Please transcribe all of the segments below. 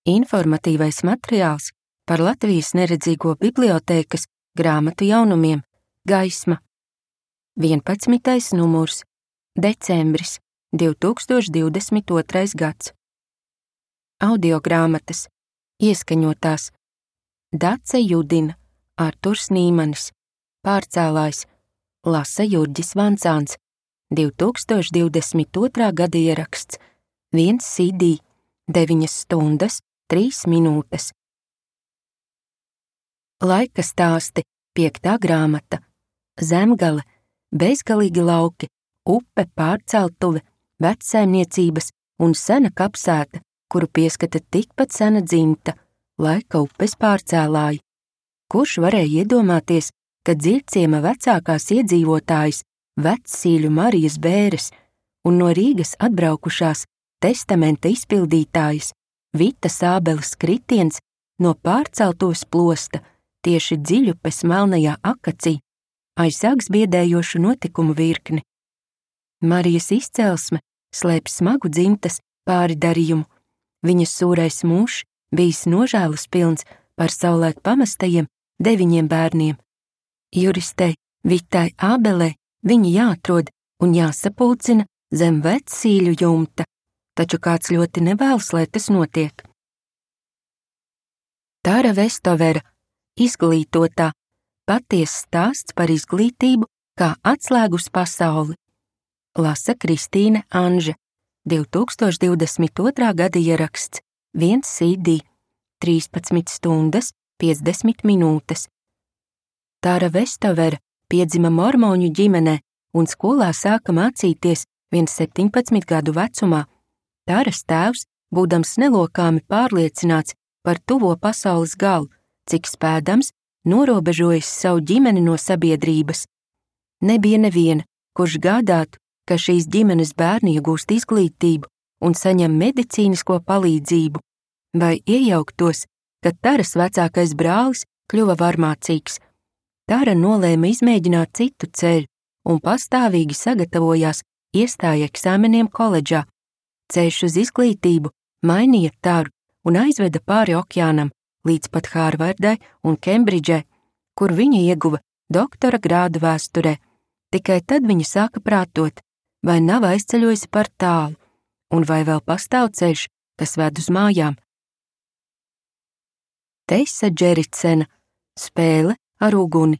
Informatīvais materiāls par Latvijas neredzīgo bibliotēkas grāmatu jaunumiem Gaisma. 11. numurs. Decembris 2022. gads. Audiogrāmatas. Ieskaņotās. Dace Judina, Arturs Nīmanis. Pārcēlājs. Lasa Jurģis Vancāns. 2022. gada ieraksts. 1 CD. 9 stundas, 3 minūtes. Laika stāsti. 5. grāmata. Zemgale. Bezgalīgi lauki. Upe, pārceltuve, vecsaimniecības un sena kapsēta, kuru pieskata tikpat sena dzimta, laika upes pārcēlāji. Kurš varēja iedomāties, ka Dziļciema vecākās iedzīvotājas Vecsīļu Marijas Bēres un no Rīgas atbraukušās testamenta izpildītājas Vitas Ābeles kritiens no pārceltuves plosta tieši Dziļupes melnajā akacī aizsāks biedējošu notikumu virkni. Marijas izcelsme slēp smagu dzimtas pāridarījumu. Viņas sūrais mūžs bijis nožēlas pilns par savulaik pamestajiem 9 bērniem. Juristei Vitai Ābelei viņi jāatrod un jāsapulcina zem Vecsīļu jumta, taču kāds ļoti nevēlas, lai tas notiek. Tāra Vestovera, izglītotā, patiess stāsts par izglītību kā atslēgu uz pasauli. Lasa Kristīne Anže, 2022. gada ieraksts, 1 CD, 13 stundas, 50 minūtes. Tāra Vestovera piedzima mormoņu ģimenē un skolā sāka mācīties 17 gadu vecumā. Tāras tēvs, būdams nelokāmi pārliecināts par tuvo pasaules galu, cik spēdams, norobežojis savu ģimeni no sabiedrības. Nebija neviena, kurš gādātu, ka šīs ģimenes bērni iegūst izglītību un saņem medicīnisko palīdzību, vai iejauktos, kad Tāras vecākais brālis kļuva varmācīgs. Tāra nolēma izmēģināt citu ceļu un pastāvīgi sagatavojās iestāju eksāmeniem koledžā. Ceļš uz izglītību mainīja Tāru un aizveda pāri okeānam līdz pat Hārvardai un Kembridžai, kur viņa ieguva doktora grādu vēsturē. Tikai tad viņa sāka prātot, vai nav aizceļojusi par tālu, un vai vēl pastāv ceļš, kas ved uz mājām. Teisa Džericena, Spēle ar uguni.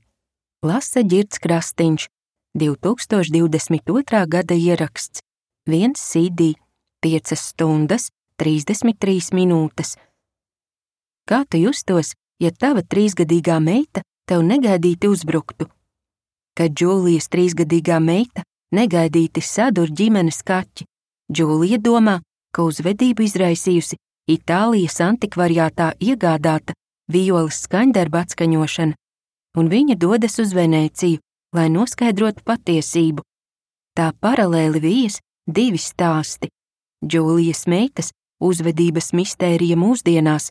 Lasa Ģirds Krastiņš, 2022. gada ieraksts, 1 CD, 5 stundas, 33 minūtes. Kā tu justos, ja tava 3-gadīgā meita tev negaidīti uzbruktu? Kad Džūlijas 3-gadīgā meita negaidīti sadur ģimenes kaķi, Džūlija domā, ka uzvedību izraisījusi Itālijas antikvariātā iegādāta violas skaņdarba atskaņošana, un viņa dodas uz Venēciju, lai noskaidrotu patiesību. Tā paralēli vijas 2 stāsti – Džūlijas meitas uzvedības mistērija mūsdienās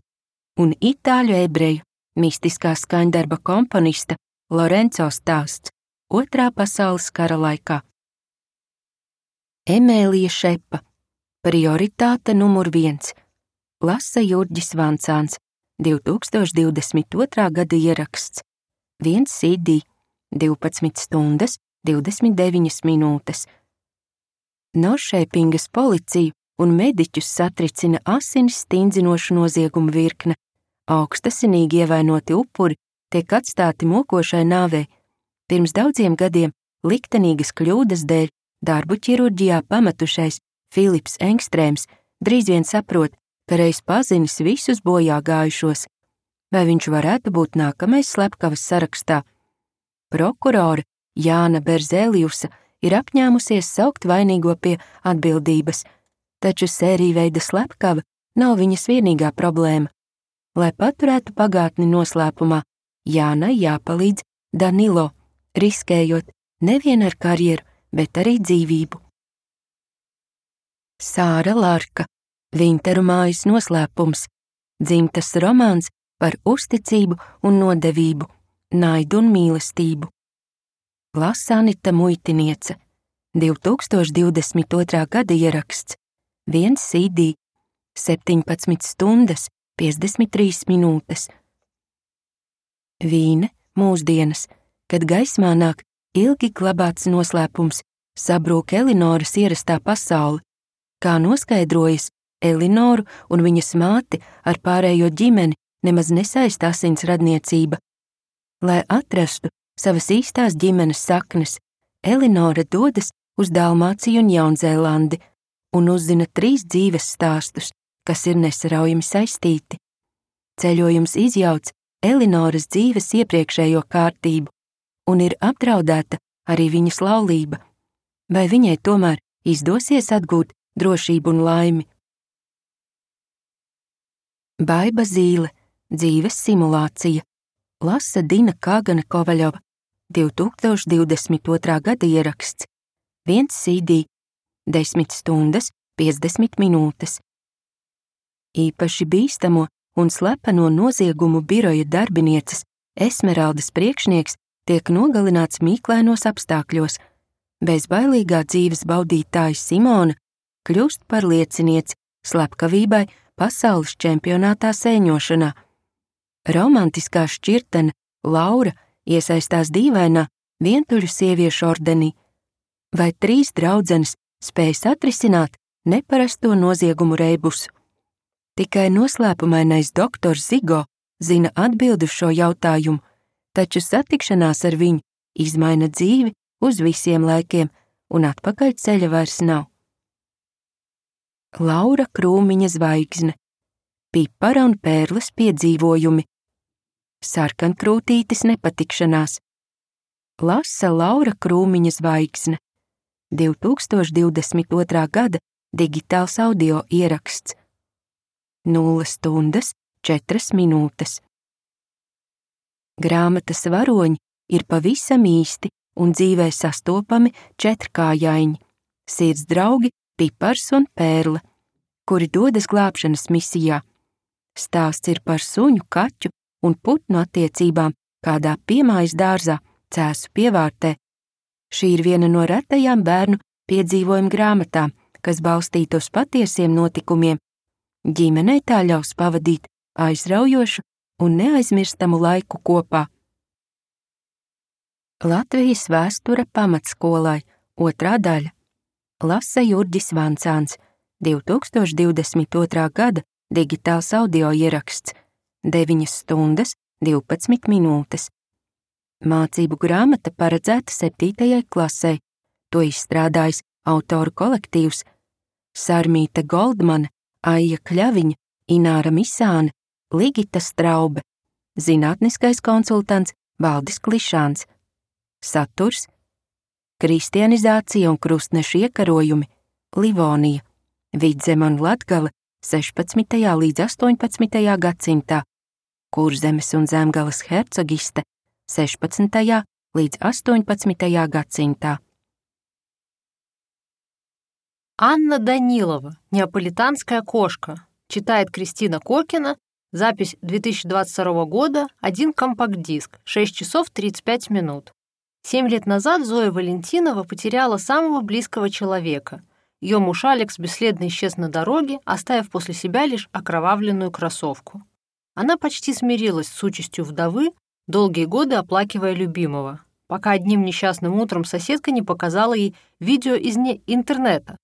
un itāļu ebreju mistiskā skaņdarba komponista Lorenzo stāsts 2. pasaules kara laikā. Emēlija Šepa, prioritāte numur 1. Lasa Jurģis Vancāns, 2022. gada ieraksts, 1 CD, 12 stundas, 29 minūtes. Noršēpingas policiju un mediķus satricina asinis stingzinošu noziegumu virkne. Augstasinīgi ievainoti upuri tiek atstāti mokošai nāvei. Pirms daudziem gadiem liktenīgas kļūdas dēļ darbu ķirurģijā pametušais Filips Engstrēms drīz vien saprot, ka reiz pazinis visus bojā gājušos. Vai viņš varētu būt nākamais slepkavas sarakstā? Prokurore Jāna Berzēliusa ir apņēmusies saukt vainīgo pie atbildības, taču sērijveida slepkava nav viņas vienīgā problēma. Lai paturētu pagātni noslēpumā, Jānai jāpalīdz Danilo, riskējot nevien ar karjeru, bet arī dzīvību. Sāra Larka, Vinteru mājas noslēpums, dzimtas romāns par uzticību un nodevību, naidu un mīlestību. Lasa Anita Muitiniece, 2022. gada ieraksts, 1 CD, 17 stundas, 53 minūtes. Vīne mūsdienas, kad gaismā nāk ilgi glabāts noslēpums, sabrūk Elinoras ierastā pasaule, kā noskaidrojas, Elinoru un viņas māti ar pārējo ģimeni nemaz nesaista asins radniecība. Lai atrastu savas īstās ģimenes saknes, Elinora dodas uz Dalmāciju un Jaunzēlandi un uzzina 3 dzīves stāstus, kas ir nesaraujami saistīti. Ceļojums izjauc Elinoras dzīves iepriekšējo kārtību un ir apdraudēta arī viņas laulība. Vai viņai tomēr izdosies atgūt drošību un laimi? Baiba zīle – dzīves simulācija. Lasa Dina Kāgana Kovaļova, 2022. gada ieraksts. 1 CD, 10 stundas, 50 minūtes. Īpaši bīstamo un slepeno noziegumu biroja darbinieces Esmeraldas priekšnieks tiek nogalināts mīklainos apstākļos. Bezbailīgā dzīves baudītāja Simona kļūst par liecinieci slepkavībai pasaules čempionātā sēņošanā. Romantiskā šķirtene Laura iesaistās dīvainā vientuļu sieviešu ordenī. Vai 3 draudzenes spējas atrisināt neparasto noziegumu reibusu? Tikai noslēpumainais doktors Zigo zina atbildi uz šo jautājumu, taču satikšanās ar viņu izmaina dzīvi uz visiem laikiem, un atpakaļ ceļa vairs nav. Laura Krūmiņa zvaigzne, Pipara un Pērles piedzīvojumi, Sarkankrūtītes nepatikšanās. Lasa Laura Krūmiņa zvaigzne, 2022. gada digitāls audio ieraksts. 0 stundas, 4 minūtes. Grāmatas varoņi ir pavisam īsti un dzīvē sastopami 4kājaini, sirds draugi Pipars un Pērle, kuri dodas glābšanas misijā. Stāsts ir par suņu, kaķu un putnu attiecībām kādā piemājas dārzā, Cēsu pievārtē. Šī ir viena no retajām bērnu piedzīvojumu grāmatām, kas balstīta uz patiesiem notikumiem. Ģimenei tā ļaus pavadīt aizraujošu un neaizmirstamu laiku kopā. Latvijas vēsture pamatskolai, 2. daļa. Lasa Jurģis Vancāns, 2022. gada digitāls audio ieraksts, 9 stundas, 12 minūtes. Mācību grāmata paredzēta 7. klasei, to izstrādājis autoru kolektīvs Sarmīta Goldmane, Aija Kļaviņa, Ināra Misāne, Ligita Straube, zinātniskais konsultants Valdis Klišāns. Saturs – kristianizācija un krustnešu iekarojumi, Livonija, Vidzeme un Latgale 16. līdz 18. gadsimtā, Kurzemes un Zemgales hercogiste 16. līdz 18. gadsimtā. Анна Данилова, «Неаполитанская кошка», читает Кристина Кокина, запись 2022 года, 1 компакт-диск, 6 часов 35 минут. 7 лет назад Зоя Валентинова потеряла самого близкого человека. Ее муж Алекс бесследно исчез на дороге, оставив после себя лишь окровавленную кроссовку. Она почти смирилась с участью вдовы, долгие годы оплакивая любимого, пока одним несчастным утром соседка не показала ей видео из интернета.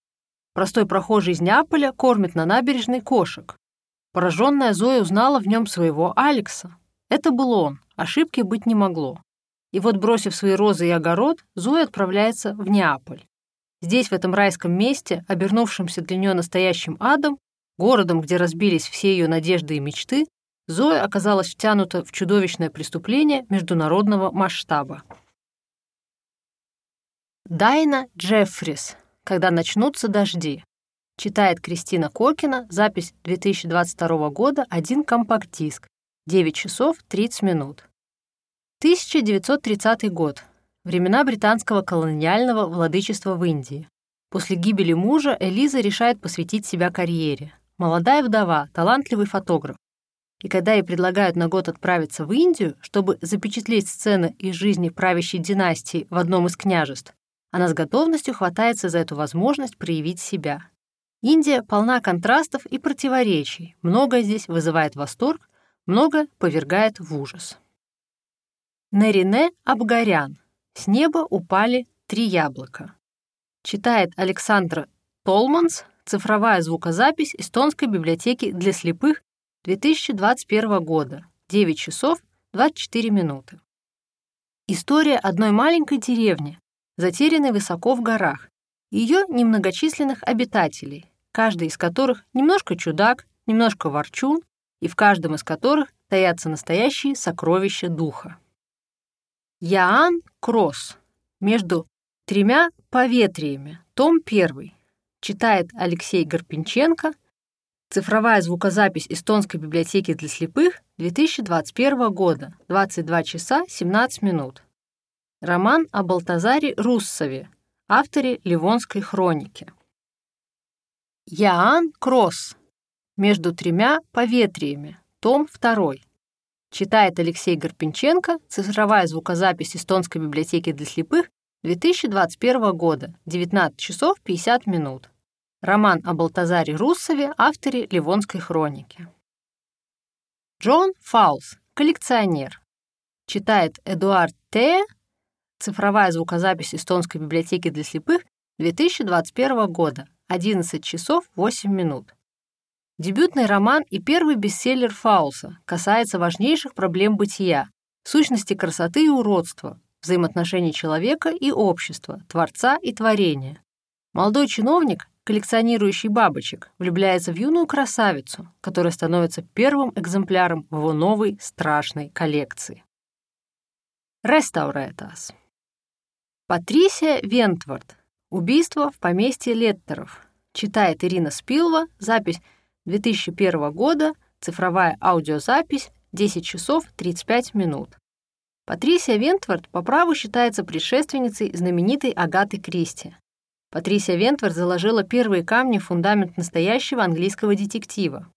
Простой прохожий из Неаполя кормит на набережной кошек. Пораженная Зоя узнала в нем своего Алекса. Это был он, ошибки быть не могло. И вот, бросив свои розы и огород, Зоя отправляется в Неаполь. Здесь, в этом райском месте, обернувшемся для нее настоящим адом, городом, где разбились все ее надежды и мечты, Зоя оказалась втянута в чудовищное преступление международного масштаба. Дайна Джеффрис. «Когда начнутся дожди», читает Кристина Кокина, запись 2022 года, 1 компакт-диск, 9 часов 30 минут. 1930 год. Времена британского колониального владычества в Индии. После гибели мужа Элиза решает посвятить себя карьере. Молодая вдова, талантливый фотограф. И когда ей предлагают на год отправиться в Индию, чтобы запечатлеть сцены из жизни правящей династии в одном из княжеств, она с готовностью хватается за эту возможность проявить себя. Индия полна контрастов и противоречий. Многое здесь вызывает восторг, многое повергает в ужас. Нарине Абгарян. С неба упали 3 яблока. Читает Александра Толманс. Цифровая звукозапись Эстонской библиотеки для слепых 2021 года. 9 часов 24 минуты. История одной маленькой деревни, затерянной высоко в горах, и ее немногочисленных обитателей, каждый из которых немножко чудак, немножко ворчун, и в каждом из которых таятся настоящие сокровища духа. Яан Кросс. Между 3 поветриями. Том 1. Читает Алексей Гарпинченко. Цифровая звукозапись Эстонской библиотеки для слепых 2021 года. 22 часа 17 минут. Роман о Балтазаре Руссове, авторе Ливонской хроники. Яан Кросс. Между 3 поветриями. Том 2. Читает Алексей Гарпинченко. Цифровая звукозапись Эстонской библиотеки для слепых 2021 года. 19 часов 50 минут. Роман о Балтазаре Руссове, авторе Ливонской хроники. Джон Фаулс. Коллекционер. Читает Эдуард Тея. Цифровая звукозапись Эстонской библиотеки для слепых 2021 года. 11 часов 8 минут. Дебютный роман и первый бестселлер Фаулса касается важнейших проблем бытия, сущности красоты и уродства, взаимоотношений человека и общества, творца и творения. Молодой чиновник, коллекционирующий бабочек, влюбляется в юную красавицу, которая становится первым экземпляром в его новой страшной коллекции. Restaurētās. Патрисия Вентвард. Убийство в поместье Леттеров. Читает Ирина Спилва. Запись 2001 года. Цифровая аудиозапись. 10 часов 35 минут. Патрисия Вентвард по праву считается предшественницей знаменитой Агаты Кристи. Патрисия Вентвард заложила первые камни в фундамент настоящего английского детектива.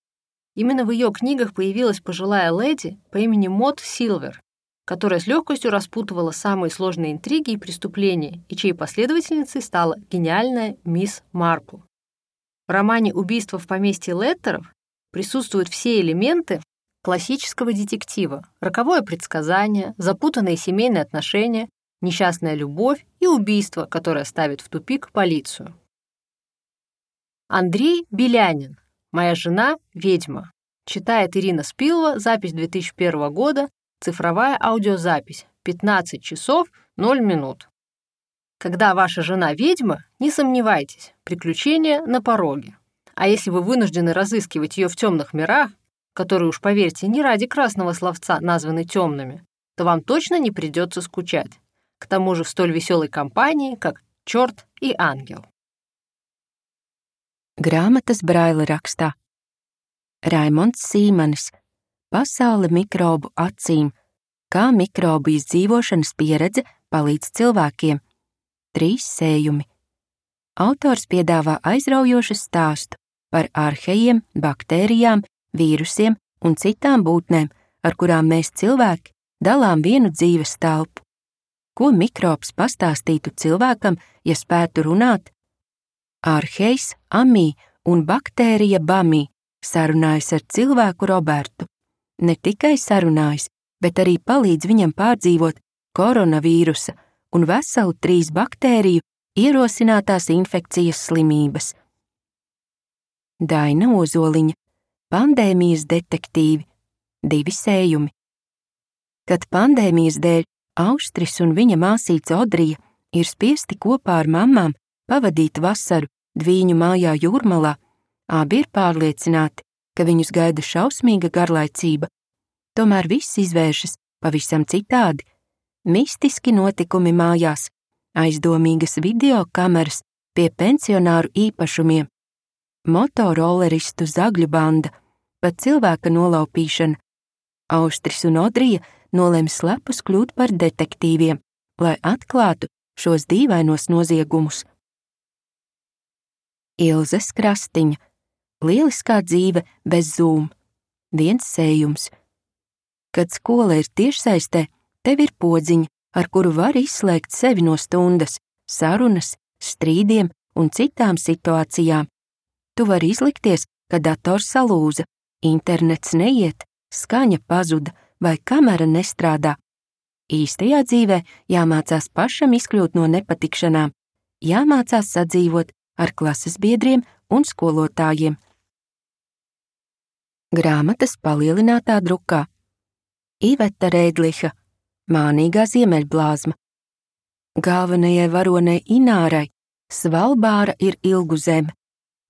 Именно в ее книгах появилась пожилая леди по имени Мод Силвер, которая с легкостью распутывала самые сложные интриги и преступления, и чьей последовательницей стала гениальная мисс Марпл. В романе «Убийство в поместье Леттеров» присутствуют все элементы классического детектива: роковое предсказание, запутанные семейные отношения, несчастная любовь и убийство, которое ставит в тупик полицию. Андрей Белянин. «Моя жена – ведьма». Читает Ирина Спилова. Запись 2001 года. Цифровая аудиозапись. 15 часов 0 минут. Когда ваша жена ведьма, не сомневайтесь, приключения на пороге. А если вы вынуждены разыскивать ее в темных мирах, которые, уж поверьте, не ради красного словца названы темными, то вам точно не придется скучать. К тому же в столь веселой компании, как «Черт и ангел». Grāmatas Braila rakstā. Raimonds Sīmanis. Pasaule mikrobu acīm. Kā mikrobu izdzīvošanas pieredze palīdz cilvēkiem. 3 sējumi. Autors piedāvā aizraujošu stāstu par arhejiem, baktērijām, vīrusiem un citām būtnēm, ar kurām mēs cilvēki dalām vienu dzīves telpu. Ko mikrobs pastāstītu cilvēkam, ja spētu runāt? Arhejs Amī un baktērija Bamī sarunājas ar cilvēku Robertu. Ne tikai sarunājas, bet arī palīdz viņam pārdzīvot koronavīrusa un veselu 3 baktēriju ierosinātās infekcijas slimības. Daina Ozoliņa. Pandēmijas detektīvi. 2 sējumi. Kad pandēmijas dēļ Austris un viņa māsīca Odrija ir spiesti kopā ar mammām pavadīt vasaru Dvīņu mājā Jūrmalā, abi ir pārliecināti, ka viņus gaida šausmīga garlaicība. Tomēr viss izvēršas pavisam citādi. Mistiski notikumi mājās, aizdomīgas video kameras pie pensionāru īpašumiem, motorolleristu zagļu banda, pat cilvēka nolaupīšana. Austris un Odrija nolēma slepus kļūt par detektīviem, lai atklātu šos dīvainos noziegumus. Ilzes Krastiņa. Lieliskā dzīve bez Zoom. 1 sējums. Kad skola ir tiešsaistē, tev ir podziņa, ar kuru var izslēgt sevi no stundas, sarunas, strīdiem un citām situācijām. Tu vari izlikties, ka dators salūza, internets neiet, skaņa pazuda vai kamera nestrādā. Īstajā dzīvē jāmācās pašam izkļūt no nepatikšanām, jāmācās sadzīvot ar klases biedriem un skolotājiem. Grāmatas palielinātā drukā. Iveta Rēdliha, Mānīgā ziemeļblāzma. Galvenajai varonei Inārai Svalbāra ir ilgu zeme.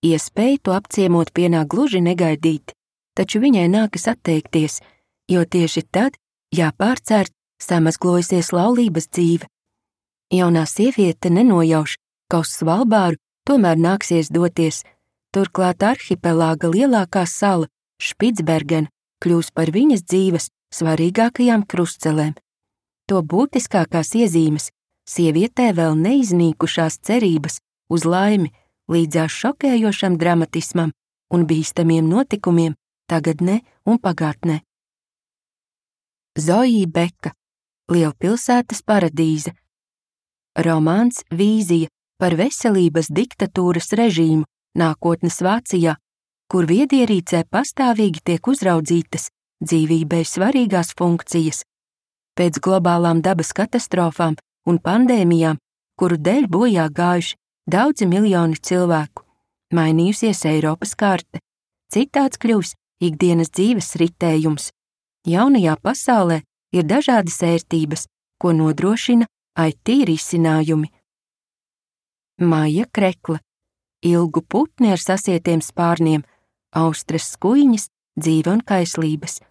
Iespēja to apciemot pienāk gluži negaidīti, taču viņai nākas atteikties, jo tieši tad jāpārcērt samazglojusies laulības dzīve. Jaunā sieviete nenojauš, ka uz Svalbāru tomēr nāksies doties, turklāt arhipelāga lielākā sala, Špicbergena, kļūs par viņas dzīves svarīgākajām krustcelēm. To būtiskākās iezīmes sievietē vēl neiznīkušās cerības uz laimi līdzās šokējošam dramatismam un bīstamiem notikumiem tagadnē un pagātnē. Zoja Beka, Lielpilsētas paradīze. Romāns Vīzija par veselības diktatūras režīmu nākotnes Vācijā, kur viedierīcē pastāvīgi tiek uzraudzītas dzīvībai svarīgās funkcijas. Pēc globālām dabas katastrofām un pandēmijām, kuru dēļ bojā gājuši daudzi miljoni cilvēku, mainījusies Eiropas karte, citāds kļūs ikdienas dzīves ritējums. Jaunajā pasaulē ir dažādas ērtības, ko nodrošina IT risinājumi. Maija Krekla, Ilgu putni ar sasietiem spārniem, Austras skuiņas, dzīve un kaislības.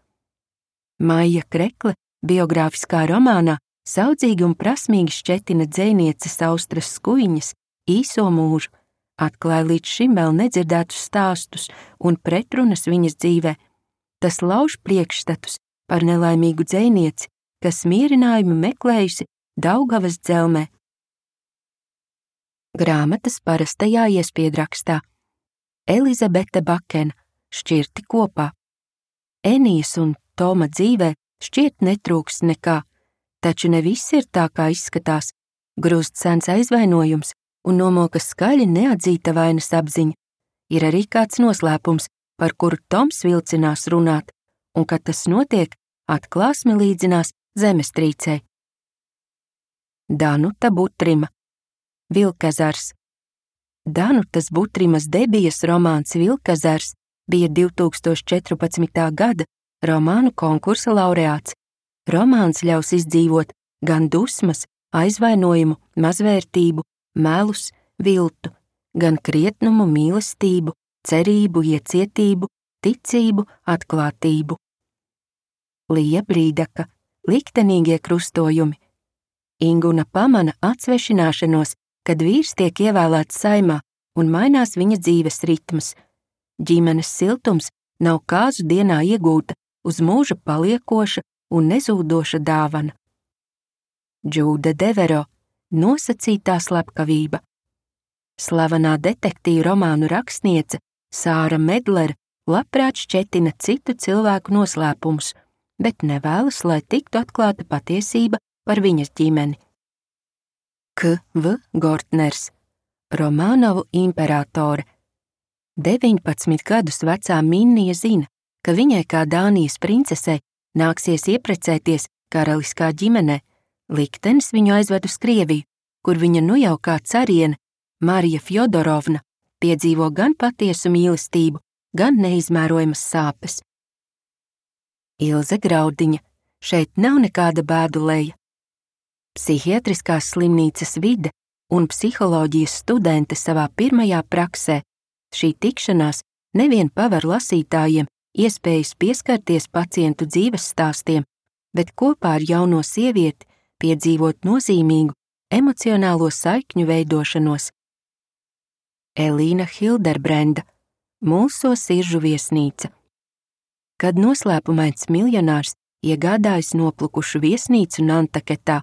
Maija Krekla biogrāfiskā romānā saudzīgi un prasmīgi šķetina dzejnieces Austras skuiņas īso mūžu, atklāja līdz šim vēl nedzirdētus stāstus un pretrunas viņas dzīvē. Tas lauž priekšstatus par nelaimīgu dzejnieci, kas mierinājumu meklējusi Daugavas dzelmē. Grāmatas parastajā iespiedrakstā. Elizabete Bakena, Šķirti kopā. Enijas un Toma dzīvē šķiet netrūks nekā, taču ne viss ir tā, kā izskatās. Grūst sens aizvainojums un nomokas skaļi neatzīta vainas apziņa. Ir arī kāds noslēpums, par kuru Toms vilcinās runāt, un, kad tas notiek, atklāsme līdzinās zemestrīcei. Danuta Butrima, Vilkazars. Danutas Butrimas debijas romāns Vilkazars bija 2014. gada romānu konkursa laureāts. Romāns ļaus izdzīvot gan dusmas, aizvainojumu, mazvērtību, melus, viltu, gan krietnumu, mīlestību, cerību, iecietību, ticību, atklātību. Lija Brīdaka, Liktenīgie krustojumi. Inguna pamana atsvešināšanos, kad vīrs tiek ievēlēts saimā un mainās viņa dzīves ritms. Ģimenes siltums nav kāzu dienā iegūta, uz mūža paliekoša un nezūdoša dāvana. Džūda Devero, Nosacītā slepkavība. Slavenā detektīvu romānu rakstniece Sāra Medlera labprāt šķetina citu cilvēku noslēpumus, bet nevēlas, lai tiktu atklāta patiesība par viņas ģimeni. K.V. Gortners, Romanovu imperatore. 19 gadus vecā Minnija zina, ka viņai kā Dānijas princesei nāksies ieprecēties karaliskā ģimenē. Liktenis viņu aizved uz Krieviju, kur viņa nu jau kā cariene, Marija Fjodorovna, piedzīvo gan patiesu mīlestību, gan neizmērojamas sāpes. Ilze Graudiņa, šeit nav nekāda bēduleja. Psihiatriskās slimnīcas vide un psiholoģijas studente savā pirmajā praksē. Šī tikšanās nevien paver lasītājiem iespējas pieskarties pacientu dzīves stāstiem, bet kopā ar jauno sievieti piedzīvot nozīmīgu emocionālo saikņu veidošanos. Elīna Hilderbrenda, Mulso siržu viesnīca. Kad noslēpumains miljonārs iegādājas noplukušu viesnīcu Nantaketā,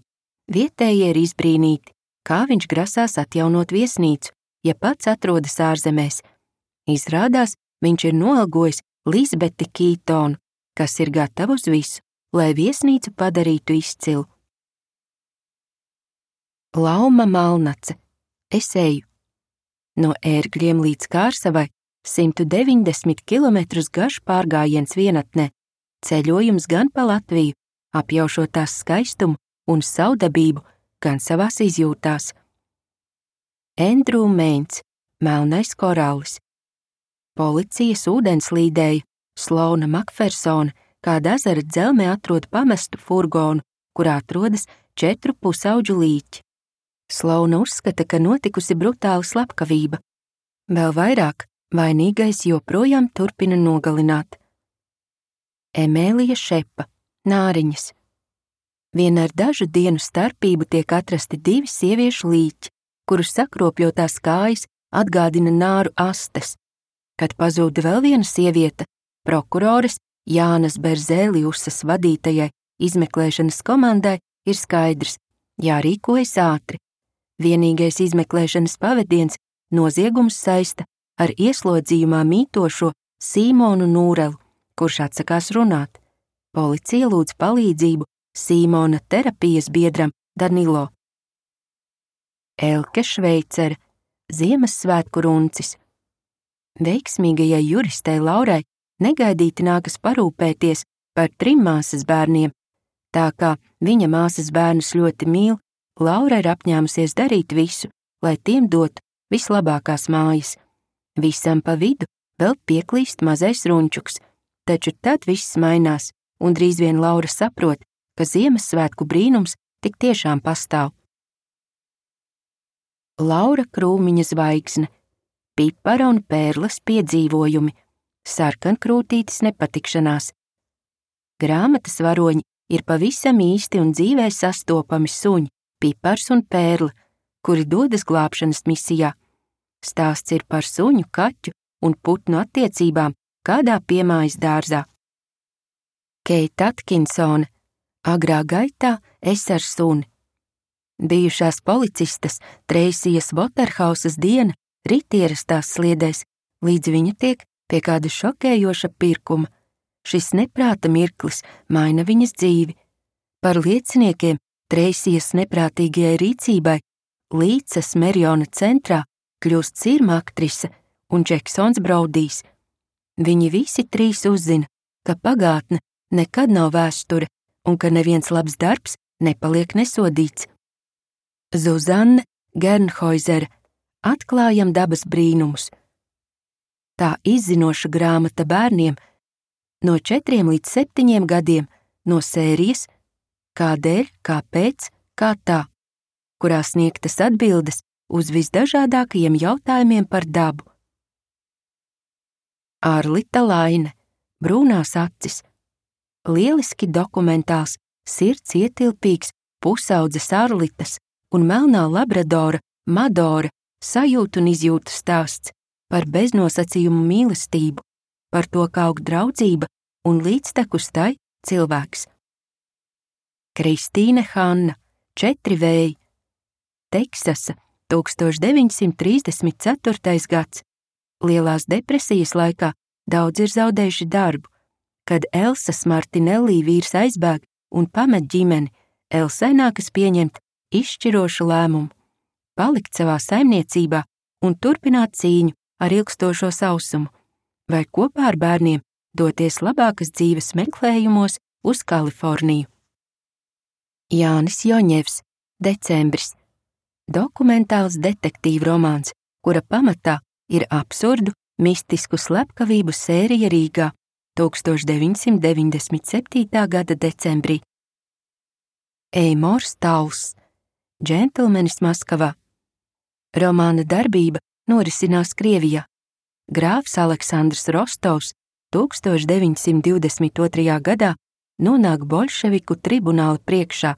vietējie ir izbrīnīti, kā viņš grasās atjaunot viesnīcu, ja pats atrodas ārzemēs. Izrādās, viņš ir noalgojis Lisbeti Kītonu, kas ir gatava uz visu, lai viesnīcu padarītu izcilu. Lauma Malnace, Es eju. No ērgļiem līdz Kārsavai 190 km garš pārgājiens vienatnē, ceļojums gan pa Latviju, apjaušot tās skaistumu un savdabību, gan savās izjūtās. Andrew Meins, Melnais korallis. Policijas ūdenslīdēja Sloana Makfersona kāda ezera dzelmē atrod pamestu furgonu, kurā atrodas 4 pusauģu līķi. Sloana uzskata, ka notikusi brutāla slepkavība. Vēl vairāk, vainīgais joprojām turpina nogalināt. Emēlija Šepa, Nāriņas. Vien ar dažu dienu starpību tiek atrasti 2 sieviešu līķi, kurus sakropļotās kājas atgādina nāru astes. Kad pazūda vēl viena sieviete, prokuroris Jānas Berzēliusas vadītajai izmeklēšanas komandai ir skaidrs, jārīkojas ātri. Vienīgais izmeklēšanas pavediens noziegums saista ar ieslodzījumā mītošo Sīmonu Nūrelu, kurš atsakās runāt. Policija lūdz palīdzību Sīmona terapijas biedram Danilo. Elke Šveicere, Ziemassvētku runcis. Veiksmīgajai juristei Laurai negaidīti nākas parūpēties par 3 māsas bērniem. Tā kā viņa māsas bērnus ļoti mīl, Laura ir apņēmusies darīt visu, lai tiem dotu vislabākās mājas. Visam pa vidu vēl pieklīst mazais runčuks, taču tad viss mainās, un drīz vien Laura saprot, ka Ziemassvētku brīnums tik tiešām pastāv. Laura Krūmiņa zvaigzne, Pipara un Pērles piedzīvojumi, Sarkankrūtītes nepatikšanās. Grāmatas varoņi ir pavisam īsti un dzīvē sastopami suņi, Pipars un Pērle, kuri dodas glābšanas misijā. Stāsts ir par suņu, kaķu un putnu attiecībām kādā piemājas dārzā. Keita Atkinsone, Agrā gaitā es ar suni. Bijušās policistas Treisijas Voterhausas diena rit ierastās sliedēs, līdz viņa tiek pie kāda šokējoša pirkuma. Šis neprāta mirklis maina viņas dzīvi. Par lieciniekiem Treisijas neprātīgajai rīcībai Līces Meriona centrā kļūst sirma aktrise un Džeksons Braudijs. Viņi visi 3 uzzina, ka pagātne nekad nav vēsture un ka neviens labs darbs nepaliek nesodīts. Zuzanne Gernhoizere, Atklājam dabas brīnumus. Tā izzinoša grāmata bērniem no 4 līdz 7 gadiem no sērijas Kādēļ, kāpēc, kā tā, kurā sniegtas atbildes uz visdažādākajiem jautājumiem par dabu. Arlita Laine, Brūnās acis. Lieliski dokumentāls, sirds ietilpīgs pusaudzes Arlitas un melnā labradora Madora sajūtu un izjūtu stāsts par beznosacījumu mīlestību, par to, kā aug draudzība un līdztekus tai cilvēks. Kristīne Hanna, 4 vēji. Teksasa, 1934. gads. Lielās depresijas laikā daudz ir zaudējuši darbu. Kad Elsas Martinelli vīrs aizbēg un pamet ģimeni, Elsai nākas pieņemt izšķirošu lēmumu – palikt savā saimniecībā un turpināt cīņu ar ilgstošo sausumu, vai kopā ar bērniem doties labākas dzīves meklējumos uz Kaliforniju. Jānis Joņevs, Decembris. Dokumentāls detektīvu romāns, kura pamatā ir absurdu, mistisku slepkavību sērija Rīgā 1997. gada decembrī. Eimors Tauls, Džentlmenis Maskavā. Romāna darbība norisinās Krievijā. Grāfs Aleksandrs Rostovs 1922. gadā nonāk bolševiku tribunāla priekšā.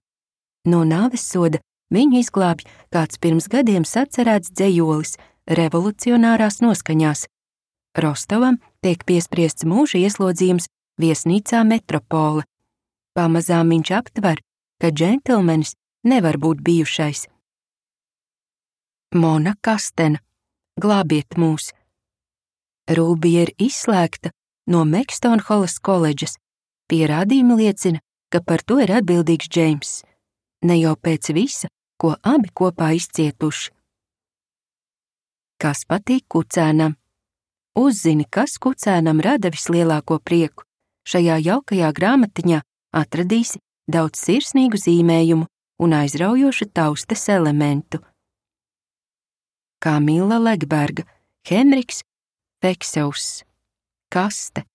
No nāves soda viņu izglābj kāds pirms gadiem sacerēts dzejolis revolucionārās noskaņās. Rostovam tiek piespriests mūža ieslodzījums viesnīcā Metropole. Pamazām viņš aptver, ka džentlmenis nevar būt bijušais. Mona Kastena, Glābiet mūs. Rūbija ir izslēgta no Mekstonholas koledžas. Pierādījumi liecina, ka par to ir atbildīgs Džeimss. Ne jau pēc visa, ko abi kopā izcietuši. Kas patīk kucēnam? Uzzini, kas kucēnam rada vislielāko prieku. Šajā jaukajā grāmatiņā atradīsi daudz sirsnīgu zīmējumu un aizraujošu taustes elementu. Kamila Legberga, Henriks Fekseus. Kaste.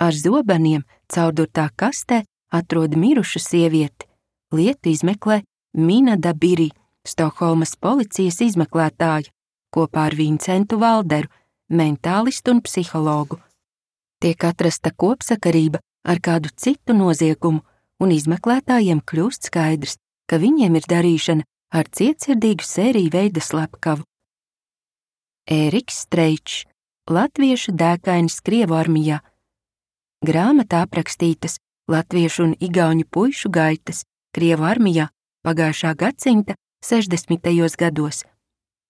Ar zobeniem caurdurtā kastē atrod mirušu sievieti. Lietu izmeklē Mina Dabiri, Stokholmas policijas izmeklētāja, kopā ar Vincentu Valderu, mentālistu un psihologu. Tiek atrasta kopsakarība ar kādu citu noziegumu, un izmeklētājiem kļūst skaidrs, ka viņiem ir darīšana ar cietsirdīgu sēriju veida slepkavu. Ēriks Streičs, latviešu dēkainis Krievu armijā. Grāmatā aprakstītas latviešu un igauņu puišu gaitas Krievu armijā pagājušā gadsimta 60. gados.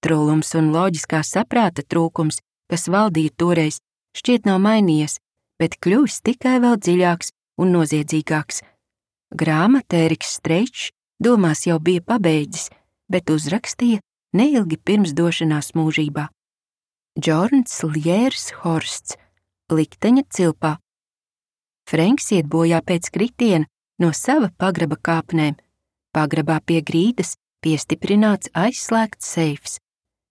Trūlums un loģiskā saprāta trūkums, kas valdīja toreiz, šķiet nav mainījies, bet kļuvis tikai vēl dziļāks un noziedzīgāks. Grāmatu Ēriks Streičs domās jau bija pabeidzis, bet uzrakstīja neilgi pirms došanās mūžībā. Džorns Ljērs Horsts, Likteņa cilpā. Frenks iet bojā pēc kritiena no sava pagraba kāpnēm. Pagrabā pie grīdas piestiprināts aizslēgts seifs.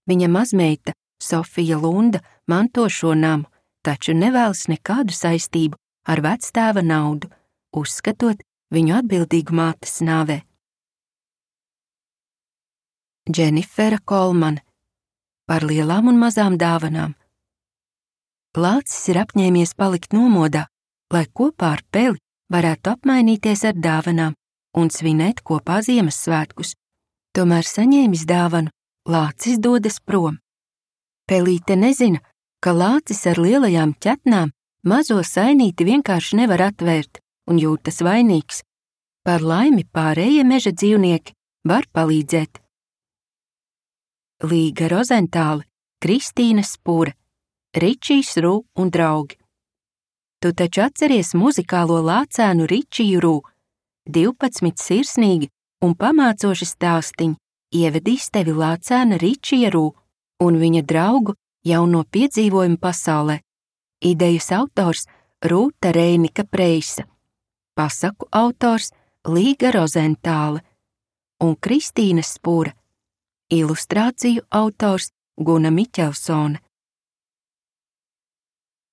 Viņa mazmeita, Sofija Lunda, manto šo namu, taču nevēlas nekādu saistību ar vectēva naudu, uzskatot viņu atbildīgu mātes nāvē. Dženifera Kolmane, par lielām un mazām dāvanām. Lācis ir apņēmies palikt nomodā, lai kopā ar Peli varētu apmainīties ar dāvanām un svinēt kopā Ziemassvētkus. Tomēr saņēmis dāvanu, Lācis dodas prom. Pelīte nezina, ka Lācis ar lielajām ķetnām mazo sainīti vienkārši nevar atvērt un jūtas vainīgs. Par laimi pārējie meža dzīvnieki var palīdzēt. Līga Rozentāle, Kristīna Spūre, Ričijs Rū un draugi. Tu taču atceries muzikālo lācēnu Ričiju Rū. 12 sirsnīgi un pamācoši stāstiņi ievedīs tevi lācēna Ričija Rū un viņa draugu jauno piedzīvojumu pasaulē. Idejas autors Rūta Reinika Preisa, pasaku autors Līga Rozentāle un Kristīna Spūre, ilustrāciju autors Guna Miķelsone.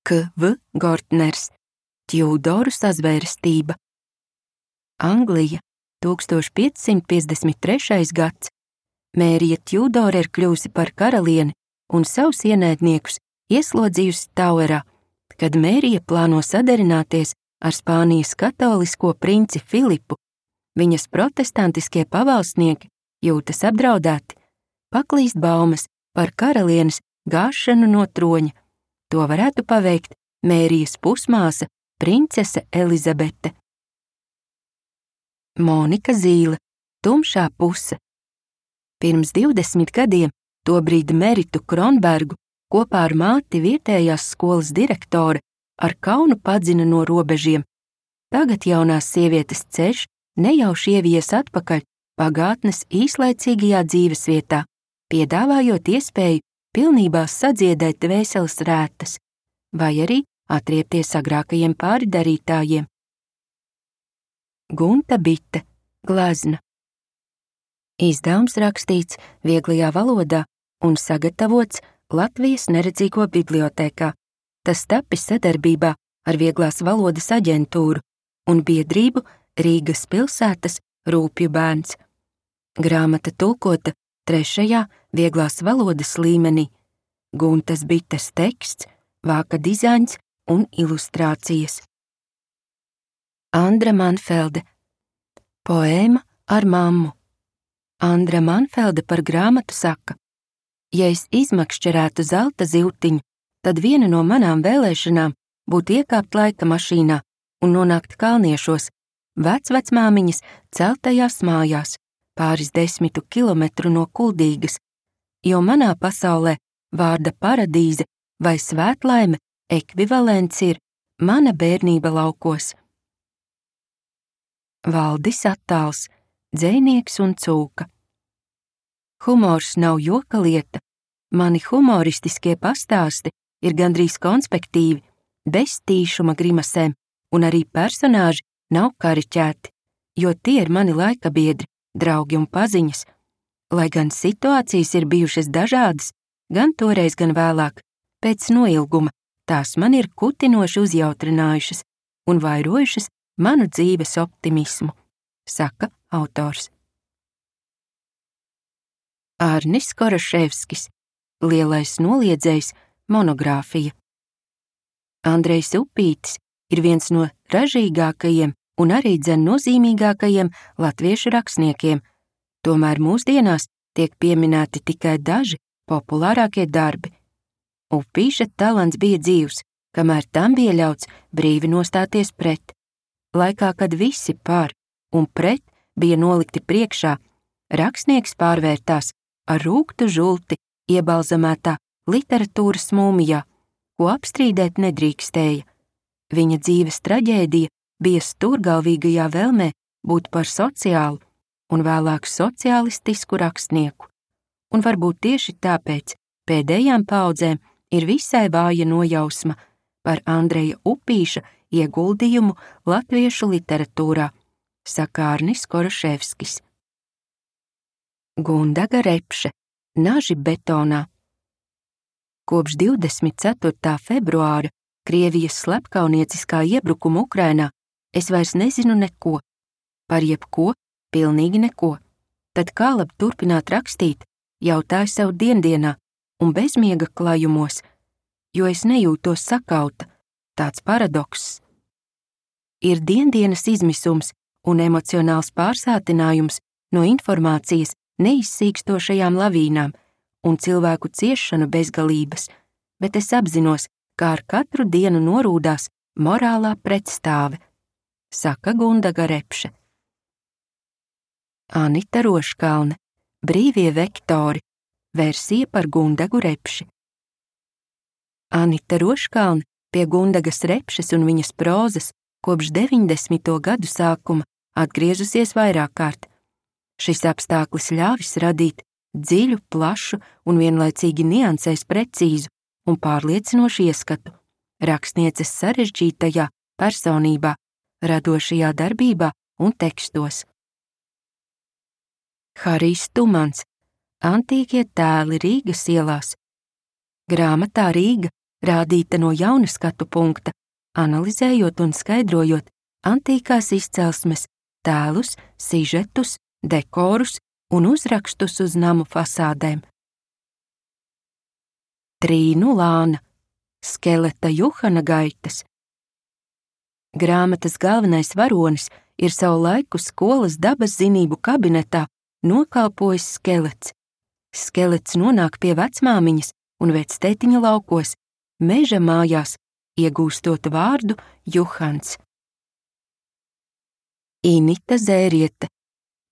K.V. Gortners, Tjūdoru sazvērestība. Anglija, 1553. gads. Mērija Tjūdora ir kļūsi par karalieni un savus ienaidniekus ieslodzījusi Tauerā, kad Mērija plāno sadarināties ar Spānijas katolisko princi Filipu. Viņas protestantiskie pavalsnieki jūtas apdraudēti, paklīst baumas par karalienes gāšanu no troņa. To varētu paveikt Mērijas pusmāsa princese Elizabete. Monika Zīle, Tumšā puse. Pirms 20 gadiem tobrīd Meritu Kronbergu kopā ar māti vietējās skolas direktore ar kaunu padzina no robežiem. Tagad jaunās sievietes ceļš nejauši ievies atpakaļ pagātnes īslaicīgajā dzīvesvietā, piedāvājot iespēju pilnībā sadziedēt dvēseles rētas, vai arī atriepties agrākajiem pārdarītājiem. Gunta Bite, glezna. Izdevums rakstīts vieglajā valodā un sagatavots Latvijas neredzīgo bibliotēkā. Tas tapis sadarbībā ar Vieglās valodas aģentūru un biedrību Rīgas pilsētas Rūpju bērns. Grāmata tulkota 3. vieglās valodas līmenī. Guntas Bites teksts, vāka dizains un ilustrācijas. Andra Manfelde, poēma ar mammu. Andra Manfelde par grāmatu saka: ja es izmakšķerētu zelta zivtiņu, tad viena no manām vēlēšanām būtu iekāpt laika mašīnā un nonākt Kalniešos, vecvecmāmiņas celtajās mājās, pāris 10 kilometru no Kuldīgas, jo manā pasaulē vārda paradīze vai svētlaime ekvivalents ir mana bērnība laukos. Valdis Attāls, dzejnieks un cūka. Humors nav joka lieta, mani humoristiskie pastāsti ir gandrīz konspektīvi, bez tīšuma grimasēm, un arī personāži nav kariķēti, jo tie ir mani laikabiedri, draugi un paziņas. Lai gan situācijas ir bijušas dažādas, gan toreiz, gan vēlāk, pēc noilguma tās man ir kutinoši uzjautrinājušas un vairojušas manu dzīves optimismu, saka autors. Arnis Koroševskis, Lielais noliedzējs, monogrāfija. Andrejs Upītis ir viens no ražīgākajiem un arī dzen nozīmīgākajiem latviešu rakstniekiem, tomēr mūsdienās tiek pieminēti tikai daži populārākie darbi. Upīša talants bija dzīvs, kamēr tam bija ļauts brīvi nostāties pret. Laikā, kad visi par un pret bija nolikti priekšā, rakstnieks pārvērtās ar rūgtu žulti iebalzamētā literatūras mūmijā, ko apstrīdēt nedrīkstēja. Viņa dzīves traģēdija bija stūrgalvīgajā vēlmē būt par sociālu un vēlāk sociālistisku rakstnieku. Un varbūt tieši tāpēc pēdējām paudzēm ir visai vāja nojausma par Andreja Upīša ieguldījumu latviešu literatūrā, saka Arnis Koroševskis. Gundaga Repše, Naži betonā. Kopš 24. februāra Krievijas slepkaunieciskā iebrukuma Ukrainā es vairs nezinu neko, par jebko, pilnīgi neko. Tad kā labi turpināt rakstīt, jautāju sev diendienā un bezmiega klajumos, jo es nejūtos sakauta, tāds paradokss. Ir diendienas izmisums un emocionāls pārsātinājums no informācijas neizsīkstošajām lavīnām un cilvēku ciešanu bezgalības, bet es apzinos, kā ar katru dienu norūdās morālā pretstāve, saka Gundaga Repše. Anita Roškalne, Brīvie vektori, versija par Gundagu Repši. Anita Roškalne pie Gundagas Repšes un viņas prozas kopš 90. gadu sākuma atgriezusies vairāk kārt. Šis apstākļus ļāvis radīt dziļu, plašu un vienlaicīgi niansēs precīzu un pārliecinošu ieskatu rakstnieces sarežģītajā personībā, radošajā darbībā un tekstos. Harijs Tumans, Antīkie tēli Rīgas ielās. Grāmatā Rīga rādīta no jauna skatu punkta, analizējot un skaidrojot antīkās izcelsmes tēlus, sižetus, dekorus un uzrakstus uz namu fasādēm. Trīnu Lāna, Skeleta Juhana gaitas. Grāmatas galvenais varonis ir savu laiku skolas dabas zinību kabinetā nokalpojis skelets. Skelets nonāk pie vecmāmiņas un vectētiņa laukos, meža mājās, iegūstot vārdu Juhans. Inita Zēriete,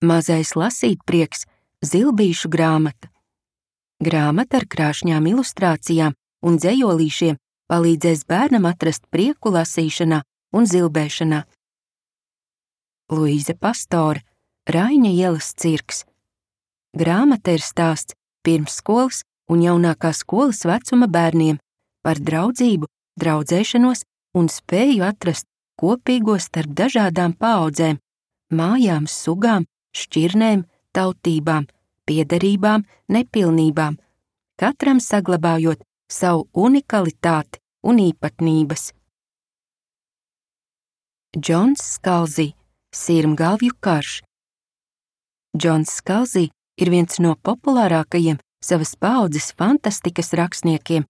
Mazais lasītprieks, Zilbīšu grāmata. Grāmata ar krāšņām ilustrācijām un dzejolīšiem palīdzēs bērnam atrast prieku lasīšanā un zilbēšanā. Luīze Pastore, Raiņa ielas cirks. Grāmata ir stāsts pirmsskolas un jaunākā skolas vecuma bērniem par draudzību, draudzēšanos un spēju atrast kopīgo starp dažādām paaudzēm, mājām, sugām, šķirnēm, tautībām, piederībām, nepilnībām, katram saglabājot savu unikalitāti un īpatnības. Džons Skalzī, Sirmgalvju karš. Džons Skalzī ir viens no populārākajiem savas paaudzes fantastikas rakstniekiem.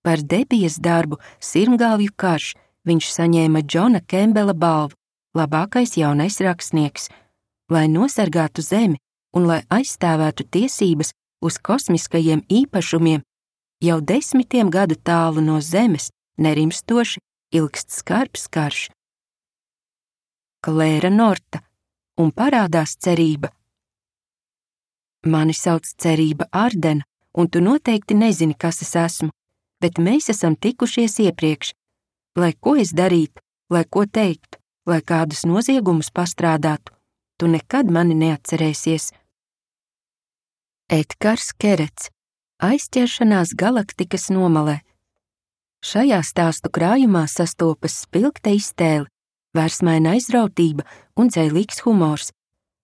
Par debijas darbu Sirmgalvju karš viņš saņēma Džona Kembela balvu, labākais jaunais rakstnieks, lai nosargātu zemi un lai aizstāvētu tiesības uz kosmiskajiem īpašumiem. Jau 10 gadu tālu no zemes nerimstoši ilgst skarbs karš. Klēra Norta, un parādās cerība. Mani sauc Cerība Ardena, un tu noteikti nezini, kas es esmu, bet mēs esam tikušies iepriekš. Lai ko es darītu, lai ko teiktu, lai kādus noziegumus pastrādātu, tu nekad mani neatcerēsies. Edgars Kerets, Aizķeršanās galaktikas nomalē. Šajā stāstu krājumā sastopas spilgta iztēle, vērsmaina aizrautība un dzēlīgs humors.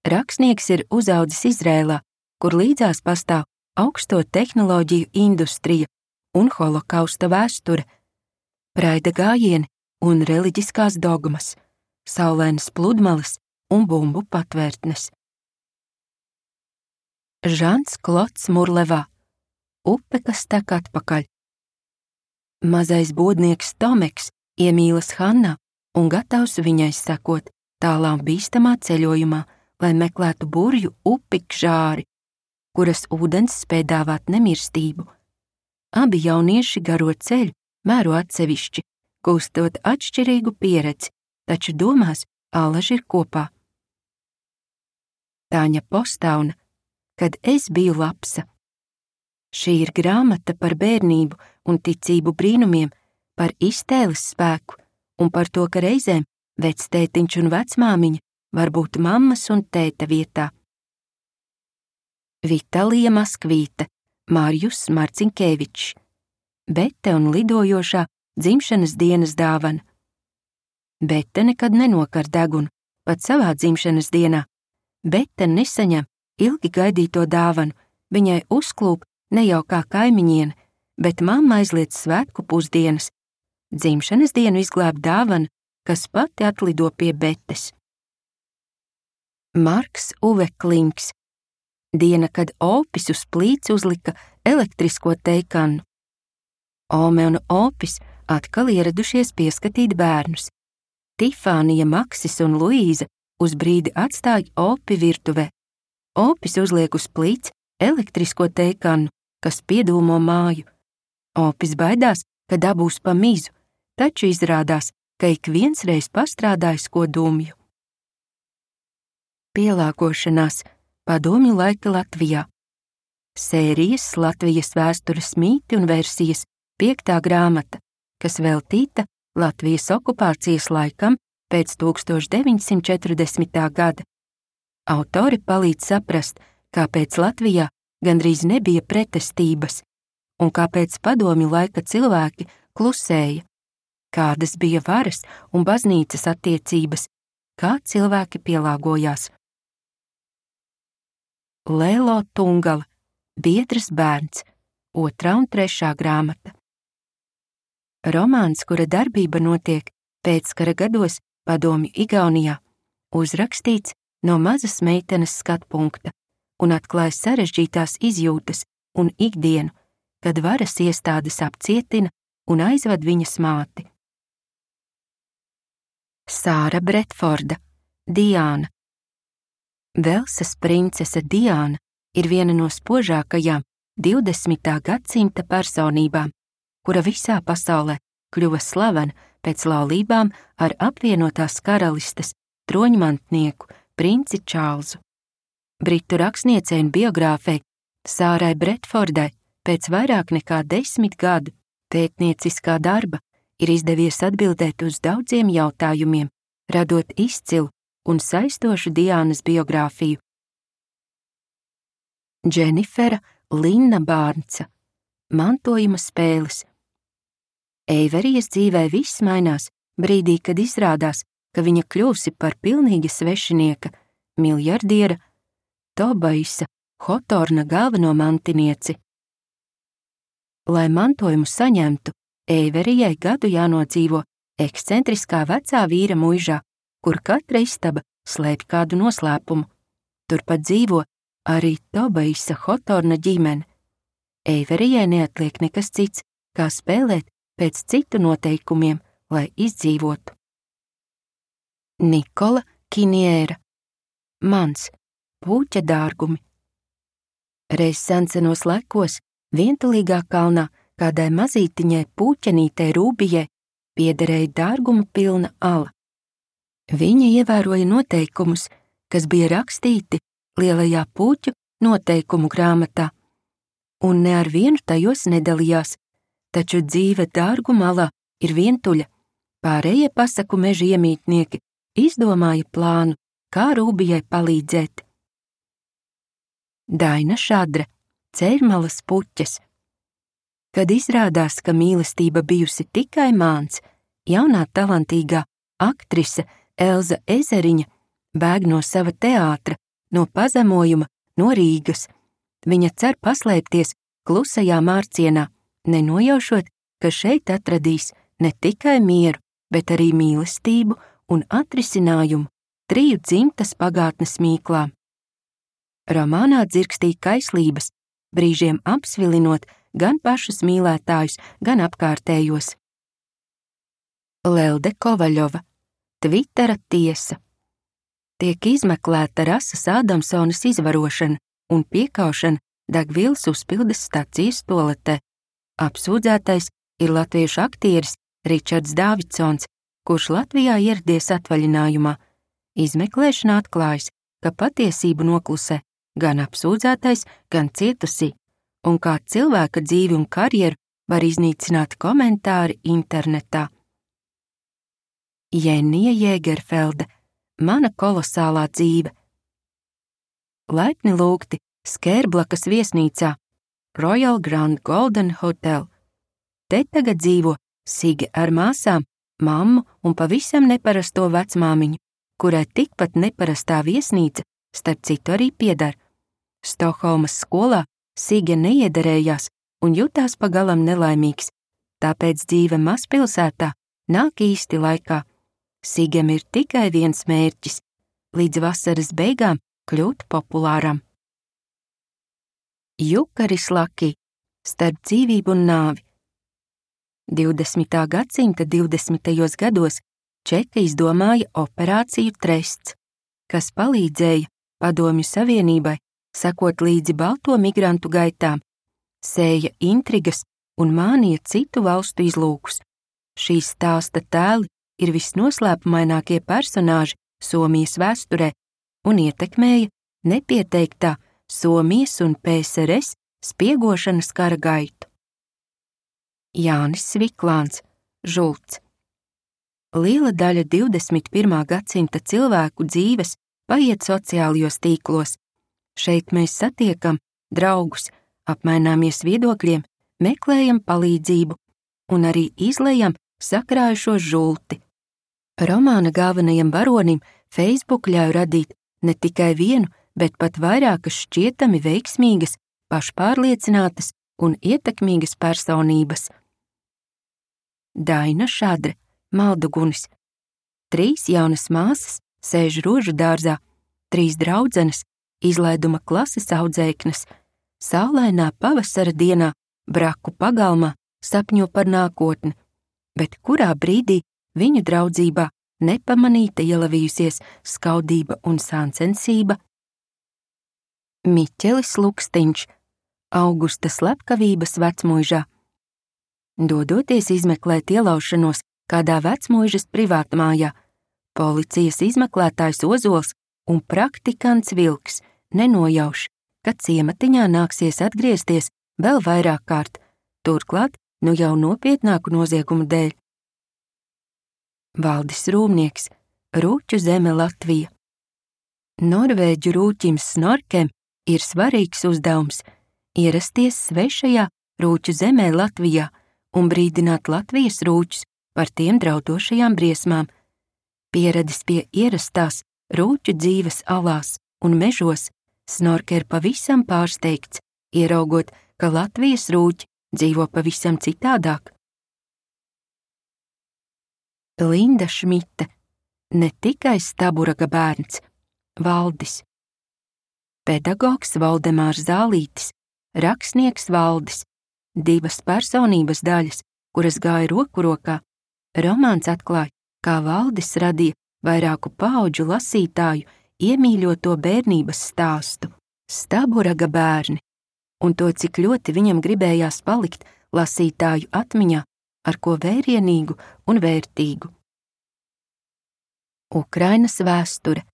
Rakstnieks ir uzaudzis Izrēlā, kur līdzās pastāv augsto tehnoloģiju industrija un holokausta vēsture, praida gājieni un reliģiskās dogmas, saulainas pludmales un bumbu patvērtnes. Žans Klods Murlevā. Upe, kas tek atpakaļ. Mazais bodnieks Tomeks iemīlas Hannā un gatavs viņai sekot tālā bīstamā ceļojumā, lai meklētu burju upi Kžāri, kuras ūdens spēj dāvāt nemirstību. Abi jaunieši garo ceļu mēro atsevišķi, gūstot atšķirīgu pieredzi, taču domās allaži ir kopā. Tāņa Postauna. Kad es biju lapsa. Šī ir grāmata par bērnību un ticību brīnumiem, par iztēles spēku un par to, ka reizēm vectētiņš un vecmāmiņa var būt mammas un tēta vietā. Vitalija Maskvīte, Mārjus Marcinkēvičs. Bete un lidojošā dzimšanas dienas dāvana. Bete nekad nenokar degunu, pat savā dzimšanas dienā. Bete nesaņem ilgi gaidīto dāvanu, viņai uzklūp ne jau kā kaimiņiene, bet mamma aizliedz svētku pusdienas. Dzimšanas dienu izglāb dāvana, kas pati atlido pie Betes. Marks Uve Klinks. Diena, kad Opis uz plīts uzlika elektrisko teikannu. Ome un Opis atkal ieradušies pieskatīt bērnus. Tifānija, Maksis un Luīza uz brīdi atstāja Opi virtuvē. Opis uzliek uz plīts elektrisko teikannu, kas piedūmo māju. Opis baidās, ka dabūs pa mizu, taču izrādās, ka ik viens reiz pastrādājis ko dumju. Pielāgošanās padomju laika Latvijā. Sērijas Latvijas vēstures mīti un versijas 5. grāmata, kas veltīta Latvijas okupācijas laikam pēc 1940. gada. Autori palīdz saprast, kāpēc Latvijā gandrīz nebija pretestības un kāpēc padomju laika cilvēki klusēja, kādas bija varas un baznīcas attiecības, kā cilvēki pielāgojās. Lēlo Tungala, Biedras bērns, 2. un 3. grāmata. Romāns, kura darbība notiek pēckara gados padomju Igaunijā, uzrakstīts no mazas meitenes skatpunkta un atklāja sarežģītās izjūtas un ikdienu, kad varas iestādes apcietina un aizved viņas māti. Sāra Bretforda, Diāna. Velsas princese Diāna ir viena no spožākajām 20. gadsimta personībām, kura visā pasaulē kļuva slavena pēc laulībām ar apvienotās karalistes troņmantnieku princi Čārlzu. Britu rakstniecei un biogrāfei Sārai Bretfordai pēc vairāk nekā 10 gadu pētnieciskā darba ir izdevies atbildēt uz daudziem jautājumiem, radot izcilu un saistošu Diānas biogrāfiju. Dženifera Linna Bārnca. Mantojuma spēles. Eiverijas dzīvē viss mainās brīdī, kad izrādās, ka viņa kļūsi par pilnīgi svešinieka, miljardiera Tobaisa Hotorna galveno mantinieci. Lai mantojumu saņemtu, Eiverijai gadu jānodzīvo ekscentriskā vecā vīra muižā, kur katra istaba slēpj kādu noslēpumu. Turpat dzīvo arī Tobaisa Hotorna ģimene. Eiverijai neatliek nekas cits, kā spēlēt pēc citu noteikumiem, lai izdzīvotu. Nikola Kiniera. Mans. Pūķa dārgumi. Reiz sensenos laikos, vientulīgā kalnā, kādai mazītiņai pūķenītei Rūbijai piederēja dārguma pilna ala. Viņa ievēroja noteikumus, kas bija rakstīti lielajā puķu noteikumu grāmatā, un ne ar vienu tajos nedalījās, taču dzīve dārgu malā ir vientuļa. Pārējie pasaku meža iemītnieki izdomāja plānu, kā Rūbijai palīdzēt. Daina Šadra, Ceļmalas puķes. Kad izrādās, ka mīlestība bijusi tikai māns, jaunā talantīgā aktrise Elza Ezeriņa bēg no sava teātra, no pazemojuma, no Rīgas. Viņa cer paslēpties klusajā mārcienā, nenojaušot, ka šeit atradīs ne tikai mieru, bet arī mīlestību un atrisinājumu 3 dzimtas pagātnes mīklām. Romānā dzirkstīja kaislības, brīžiem apsvilinot gan pašus mīlētājus, gan apkārtējos. Lelde Kovaļova, Tvitera tiesa. Tiek izmeklēta Rasas Ādamsonas izvarošana un piekaušana degvielas uzpildes stacijas toaletē. Apsūdzētais ir latviešu aktieris Ričards Dāvidsons, kurš Latvijā ieradies atvaļinājumā. Izmeklēšana atklājas, ka patiesību noklusē gan apsūdzētais, gan cietusī, un kā cilvēka dzīvi un karjeru var iznīcināt komentāri internetā. Jenija Jēgerfelde, Mana kolosālā dzīve. Laipni lūgti Skērblakas viesnīcā, Royal Grand Golden Hotel. Te tagad dzīvo Sige ar māsām, mammu un pavisam neparasto vecmāmiņu, kurai tikpat neparastā viesnīca, starp citu arī pieder. Stokholmas skolā Sige neiederējās un jutās pagalam nelaimīgs, tāpēc dzīve mazpilsētā nāk īsti laikā. Sigem ir tikai viens mērķis – līdz vasaras beigām kļūt populāram. Jukaris Laki, Starp dzīvību un nāvi. 20. gadsimta 20. gados Čeki izdomāja operāciju Trests, kas palīdzēja Padomju Savienībai sekot līdzi balto migrantu gaitām, sēja intrigas un mānīja citu valstu izlūkus. Šīs stāsta tēli ir visnoslēpumainākie personāži Somijas vēsturē un ietekmēja nepieteiktā Somijas un PSRS spiegošanas kara gaitu. Jānis Sviklāns, Žults. Liela daļa 21. gadsimta cilvēku dzīves paiet sociālajos tīklos. Šeit mēs satiekam draugus, apmaināmies viedokļiem, meklējam palīdzību un arī izlejam sakrājušo žulti. Romāna galvenajam varonim Facebook ļauj radīt ne tikai vienu, bet pat vairākas šķietami veiksmīgas, pašpārliecinātas un ietekmīgas personības. Daina Šadre, Maldugunis. 3 jaunas māsas sēž rožu dārzā, 3 draudzenes, izlaiduma klases audzēknes, saulainā pavasara dienā, braku pagalmā, sapņo par nākotni, bet kurā brīdī viņu draudzībā nepamanīta ielavījusies skaudība un sāncensība. Miķelis Lukstiņš, Augusta slepkavības vecmuižā. Dodoties izmeklēt ielaušanos kādā vecmuižas privātmājā, policijas izmeklētājs Ozols un praktikants Vilks nenojauš, ka ciematiņā nāksies atgriezties vēl vairāk kārt, turklāt nu jau nopietnāku noziegumu dēļ. Valdis Rūmnieks, Rūķu zeme Latvija. Norvēģu rūķim Snorkem ir svarīgs uzdevums ierasties svešajā rūķu zemē Latvijā un brīdināt Latvijas rūķus par tiem draudošajām briesmām. Pieradis pie ierastās rūķu dzīves alās un mežos, Snorke ir pavisam pārsteigts, ieraugot, ka Latvijas rūķi dzīvo pavisam citādāk. Linda Šmite, ne tikai Staburaga bērns, Valdis. Pedagogs Valdemārs Zālītis, rakstnieks Valdis, 2 personības daļas, kuras gāja roku rokā. Romāns atklāja, kā Valdis radīja vairāku paudžu lasītāju iemīļoto bērnības stāstu Staburaga bērni, un to, cik ļoti viņam gribējās palikt lasītāju atmiņā ar ko vērienīgu un vērtīgu. Ukrainas vēsture.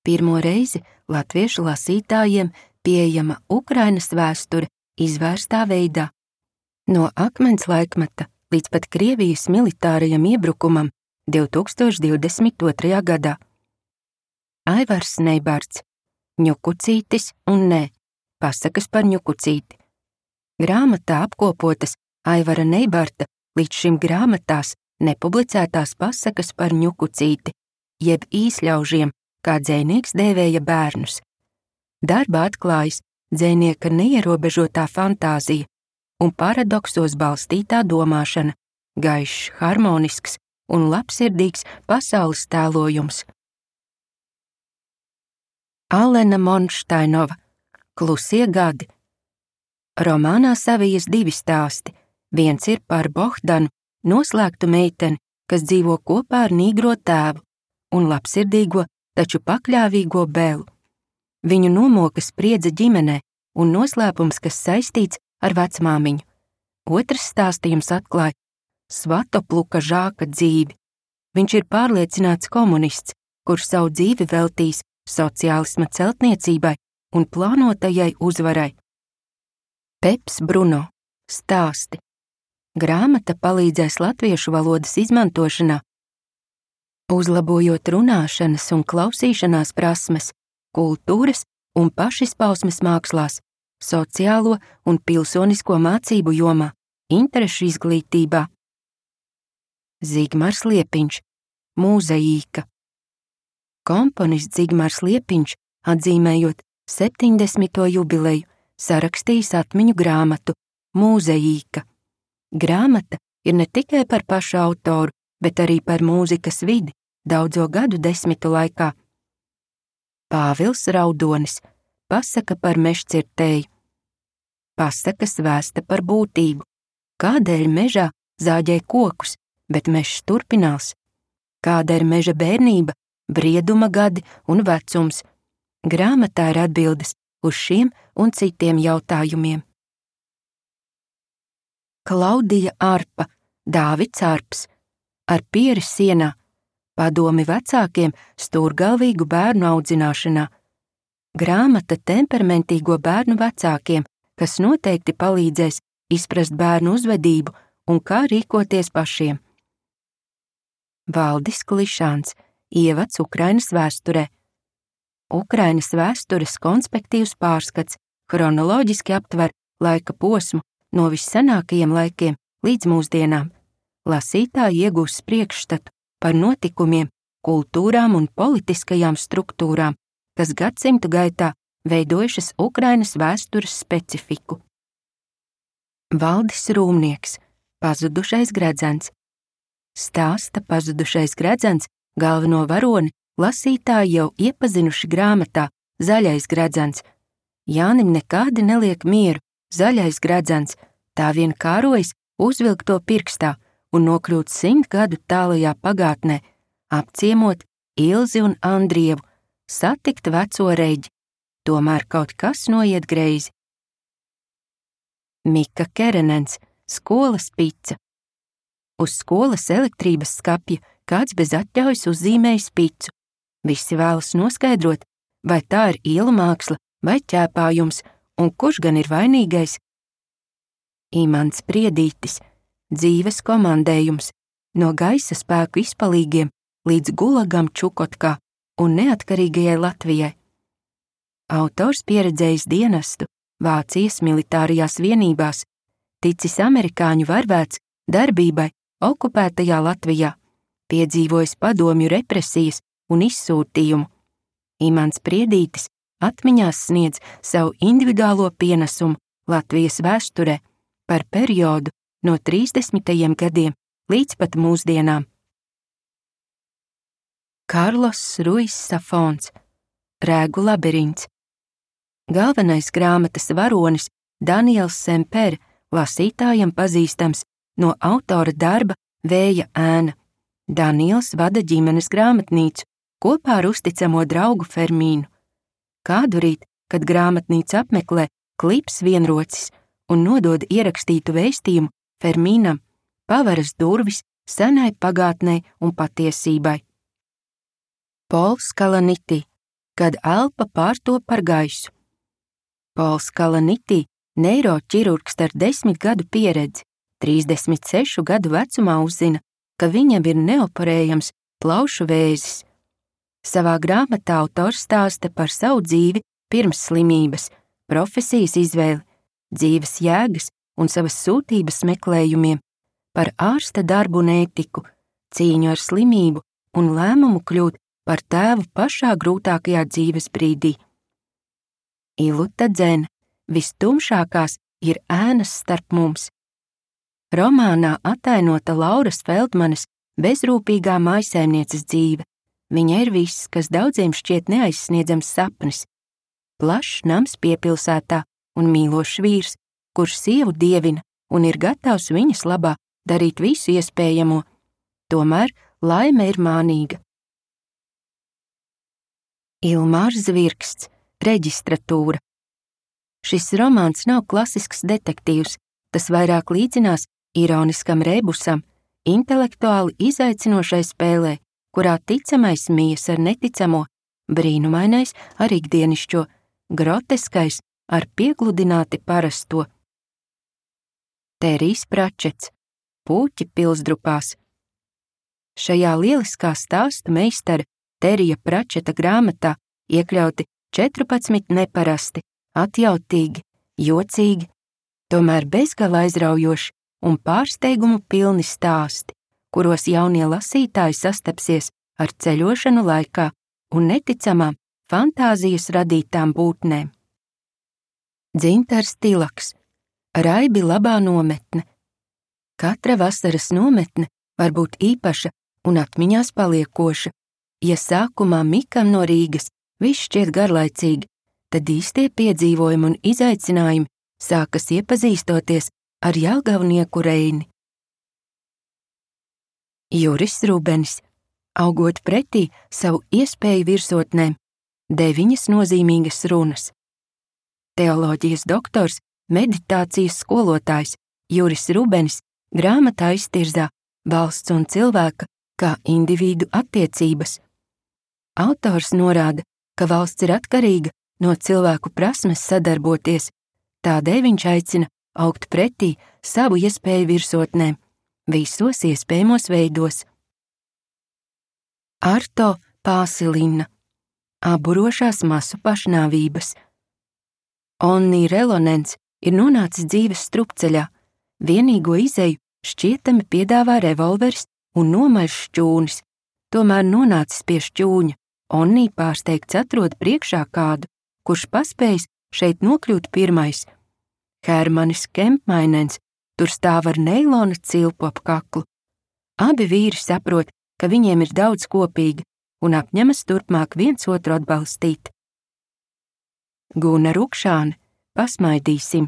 Pirmo reizi latviešu lasītājiem pieejama Ukrainas vēsture izvērstā veidā. No akmens laikmeta līdz pat Krievijas militārajam iebrukumam 2022. gadā. Aivars Neibards, Ņukucītis un nē, pasakas par Ņukucīti. Grāmatā apkopotas Aivara Neibarta līdz šim grāmatās nepublicētās pasakas par ņukucīti, jeb īsļaužiem, kā dzejnieks dēvēja bērnus. Darbā atklājas dzejnieka neierobežotā fantāzija un paradoksos balstītā domāšana, gaišs, harmonisks un labsirdīgs pasaules tēlojums. Alena Monšteinova, Klusie gadi. Romānā savijas divi stāsti. Viens ir par Bohdanu, noslēgtu meiteni, kas dzīvo kopā ar nīgro tēvu, un labsirdīgo, taču pakļāvīgo Belu. Viņu nomoka spriedze ģimenē un noslēpums, kas saistīts ar vecmāmiņu. Otrs stāstījums atklāja Svatopluka Žāka dzīvi. Viņš ir pārliecināts komunists, kurš savu dzīvi veltīs sociālisma celtniecībai un plānotajai uzvarai. Peps Bruno, stāsti. Grāmata palīdzēs latviešu valodas izmantošanā, uzlabojot runāšanas un klausīšanās prasmes, kultūras un pašizpausmes mākslās, sociālo un pilsonisko mācību jomā, interešu izglītībā. Zigmars Liepiņš, Mūzaīka. Komponists Zigmars Liepiņš, atzīmējot 70. jubileju, sarakstījis atmiņu grāmatu Mūzaīka. Grāmata ir ne tikai par pašu autoru, bet arī par mūzikas vidi daudzo gadu desmitu laikā. Pāvils Raudonis, pasaka par mežcirtēju. Pasakas vēsta par būtību. Kādēļ mežā zāģē kokus, bet mežs turpinās? Kāda ir meža bērnība, brieduma gadi un vecums? Grāmatā ir atbildes uz šiem un citiem jautājumiem. Klaudija Arpa, Dāvids Arps, Ar pieri sienā, padomi vecākiem stūrgalvīgu bērnu audzināšanā. Grāmata temperamentīgo bērnu vecākiem, kas noteikti palīdzēs izprast bērnu uzvedību un kā rīkoties pašiem. Valdis Klišāns, ievads Ukrainas vēsturē. Ukrainas vēstures konspektīvs pārskats chronoloģiski aptver laika posmu no vissenākajiem laikiem līdz mūsdienām. Lasītāji iegūs priekšstatu par notikumiem, kultūrām un politiskajām struktūrām, kas gadsimtu gaitā veidojušas Ukrainas vēstures specifiku. Valdis Rūmnieks, Pazudušais gredzens. Stāsta Pazudušais gredzens galveno varoni lasītāji jau iepazinuši grāmatā Zaļais gredzens. Jānim nekādi neliek mieru, zaļais gredzens, tā vien kārojas uzvilkt to pirkstā un nokļūt 100 gadu tālajā pagātnē, apciemot Ilzi un Andrievu, satikt veco reģi, tomēr kaut kas noiet greizi. Mika Kerenens, skolas pica. Uz skolas elektrības skapja kāds bez atļaujas uzzīmējis picu. Visi vēlas noskaidrot, vai tā ir ielu māksla vai ķēpājums, un kurš gan ir vainīgais. Imants Priedītis, dzīves komandējums, no gaisa spēku izpalīgiem līdz gulagam Čukotkā un neatkarīgajai Latvijai. Autors pieredzējis dienestu Vācijas militārajās vienībās, ticis amerikāņu varvēts darbībai okupētajā Latvijā, piedzīvojis padomju represijas un izsūtījumu. Imants Priedītis atmiņās sniedz savu individuālo pienesumu Latvijas vēsturē par periodu no 30. gadiem līdz pat mūsdienām. Karlos Ruiz Safons, Rēgu labirints. Galvenais grāmatas varonis Daniels Semper, lasītājam pazīstams no autora darba Vēja ēna. Daniels vada ģimenes grāmatnīcu kopā ar uzticamo draugu Fermīnu. Kādu rīt, kad grāmatnīcu apmeklē Klips vienrocis un nodod ierakstītu vēstījumu Fermīnam, paveras durvis senai pagātnei un patiesībai. Pols Kalanitī, kad elpa pārtop par gaisu. Pols Kalanitī, neiroķirurgs ar 10 gadu pieredzi, 36 gadu vecumā uzzina, ka viņam ir neoperējams plaušu vēzis. Savā grāmatā autors stāsta par savu dzīvi pirms slimības, profesijas izvēli, dzīves jēgas un savas sūtības meklējumiem, par ārsta darbu un ētiku, cīņu ar slimību un lēmumu kļūt par tēvu pašā grūtākajā dzīves brīdī. Iluta Dzene, vistumšākās ir ēnas starp mums. Romānā atainota Lauras Feldmanes bezrūpīgā mājsaimnieces dzīve. Viņa ir viss, kas daudziem šķiet neaizsniedzams sapnis. Plašs nams piepilsētā un mīlošs vīrs, kurš sievu dievina un ir gatavs viņas labā darīt visu iespējamo. Tomēr laime ir mānīga. Ilmārs Zvirksts, Reģistratūra. Šis romāns nav klasisks detektīvs, tas vairāk līdzinās ironiskam rebusam, intelektuāli izaicinošai spēlē, kurā ticamais mijas ar neticamo, brīnumainais ar ikdienišķo, groteskais ar piegludināti parasto. Terijs Pračets, Pūķi pilsdrupās. Šajā lieliskā stāstu meistara Terija Pračeta grāmatā iekļauti 14 neparasti, atjautīgi, jocīgi, tomēr bezgala aizraujoši un pārsteigumu pilni stāsti, kuros jaunie lasītāji sastapsies ar ceļošanu laikā un neticamām fantāzijas radītām būtnēm. Dzintars Tilaks, Raibi labā nometne. Katra vasaras nometne var būt īpaša un atmiņās paliekoša. Ja sākumā Mikam no Rīgas viss šķiet garlaicīgi, tad īstie piedzīvojumi un izaicinājumi sākas iepazīstoties ar jelgavnieku Reini. Juris Rubenis, augot pretī savu iespēju virsotnēm, 9 nozīmīgas runas. Teoloģijas doktors, meditācijas skolotājs Juris Rubenis grāmatā iztirzā valsts un cilvēka kā individu attiecības. Autors norāda, ka valsts ir atkarīga no cilvēku prasmes sadarboties, tādēļ viņš aicina augt pretī savu iespēju virsotnēm, visos iespējamos veidos. Arto Pāsilina, Aburošās masu pašnāvības. Onni Relonens ir nonācis dzīves strupceļā, vienīgo izeju šķietami piedāvā revolveris un nomaļš šķūnis, tomēr nonācis pie šķūņa, Onni pārsteigts atrod priekšā kādu, kurš paspējis šeit nokļūt pirmais. Hermanis Kempmainens tur stāv ar neilona cilpu ap kaklu. Abi vīri saprot, ka viņiem ir daudz kopīga un apņemas turpmāk viens otru atbalstīt. Guna Rukšāne, Pasmaidīsim.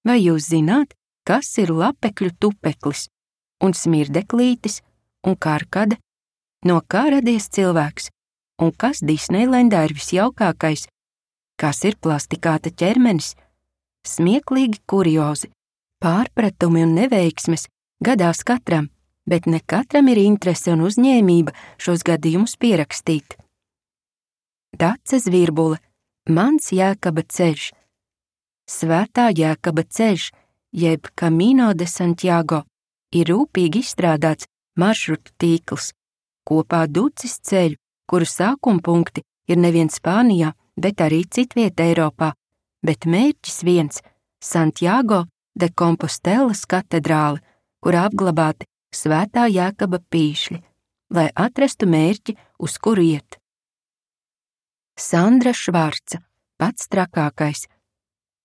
Vai jūs zināt, kas ir lapekļu tupeklis un smirdeklītis un karkade? No kā radies cilvēks? Un kas Disneilendā ir visjaukākais? Kas ir plastikāta ķermenis? Smieklīgi kuriozi, pārpratumi un neveiksmes gadās katram, bet ne katram ir interese un uzņēmība šos gadījumus pierakstīt. Dace Zvirbule, Mans Jēkaba ceļš. Svētā Jēkaba ceļš, jeb Camino de Santiago, ir rūpīgi izstrādāts maršrutu tīkls, kopā ducis ceļu, kuru sākuma punkti ir nevien Spānijā, bet arī citvieta Eiropā, bet mērķis viens – Santiago de Compostelas katedrāle, kurā apglabāti Svētā Jēkaba pīšļi, lai atrastu mērķi, uz kuru iet. Sandra Švarca, Pats trakākais.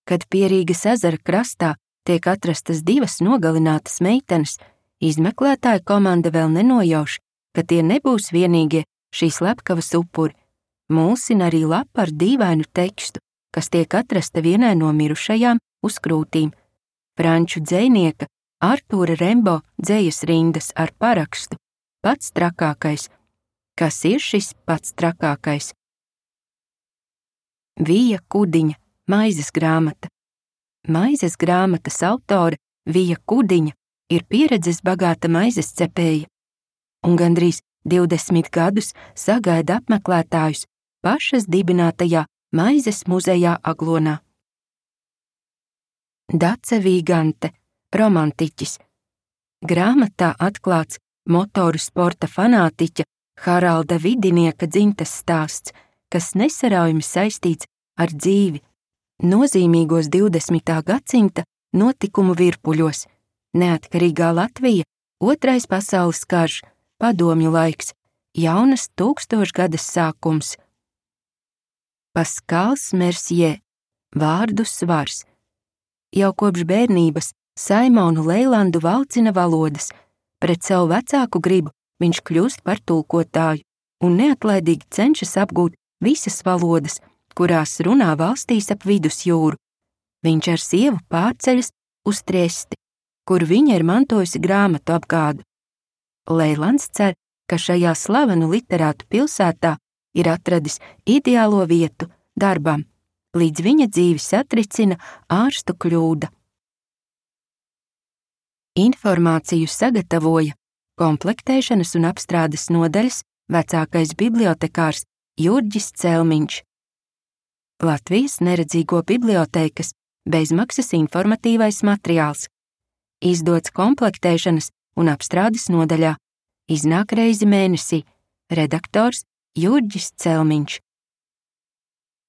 Kad pie Rīgas ezera krastā tiek atrastas 2 nogalinātas meitenes, izmeklētāja komanda vēl nenojauš, ka tie nebūs vienīgie šīs slepkavas upuri. Mulsina arī lapa ar dīvainu tekstu, kas tiek atrasta vienai no mirušajām uz krūtīm. Franču dzejnieka Artūra Rembo dzejas rindas ar parakstu Pats trakākais. Kas ir šis pats trakākais? Vija Kudiņa, Maizes grāmata. Maizes grāmatas autore Vija Kudiņa ir pieredzes bagāta maizes cepēja, un gandrīz 20 gadus sagaida apmeklētājus pašas dibinātajā Maizes muzejā Aglonā. Dace Vīgante, romantiķis. Grāmatā atklāts motoru sporta fanātiķa Haralda Vidinieka dzimtes stāsts, kas nesaraujami saistīts ar dzīvi, nozīmīgos 20. gadsimta notikumu virpuļos: neatkarīgā Latvija, Otrais pasaules karš, padomju laiks, jaunas tūkstošgades sākums. Paskals Mercier, vārdu svars. Jau kopš bērnības Saimonu Leilandu valcina valodas. Pret savu vecāku gribu viņš kļūst par tulkotāju un neatlaidīgi cenšas apgūt visas valodas, kurās runā valstīs ap vidusjūru. Viņš ar sievu pārceļas uz Triesti, kur viņa ir mantojusi grāmatu apgādu. Leilands cer, ka šajā slavenu literātu pilsētā ir atradis ideālo vietu darbam, līdz viņa dzīvi satricina ārstu kļūda. Informāciju sagatavoja komplektēšanas un apstrādes nodaļas vecākais bibliotekārs Jurģis Celmiņš. Latvijas neredzīgo bibliotēkas bezmaksas informatīvais materiāls. Izdots komplektēšanas un apstrādes nodaļā. Iznāk reizi mēnesī. Redaktors Jurģis Celmiņš.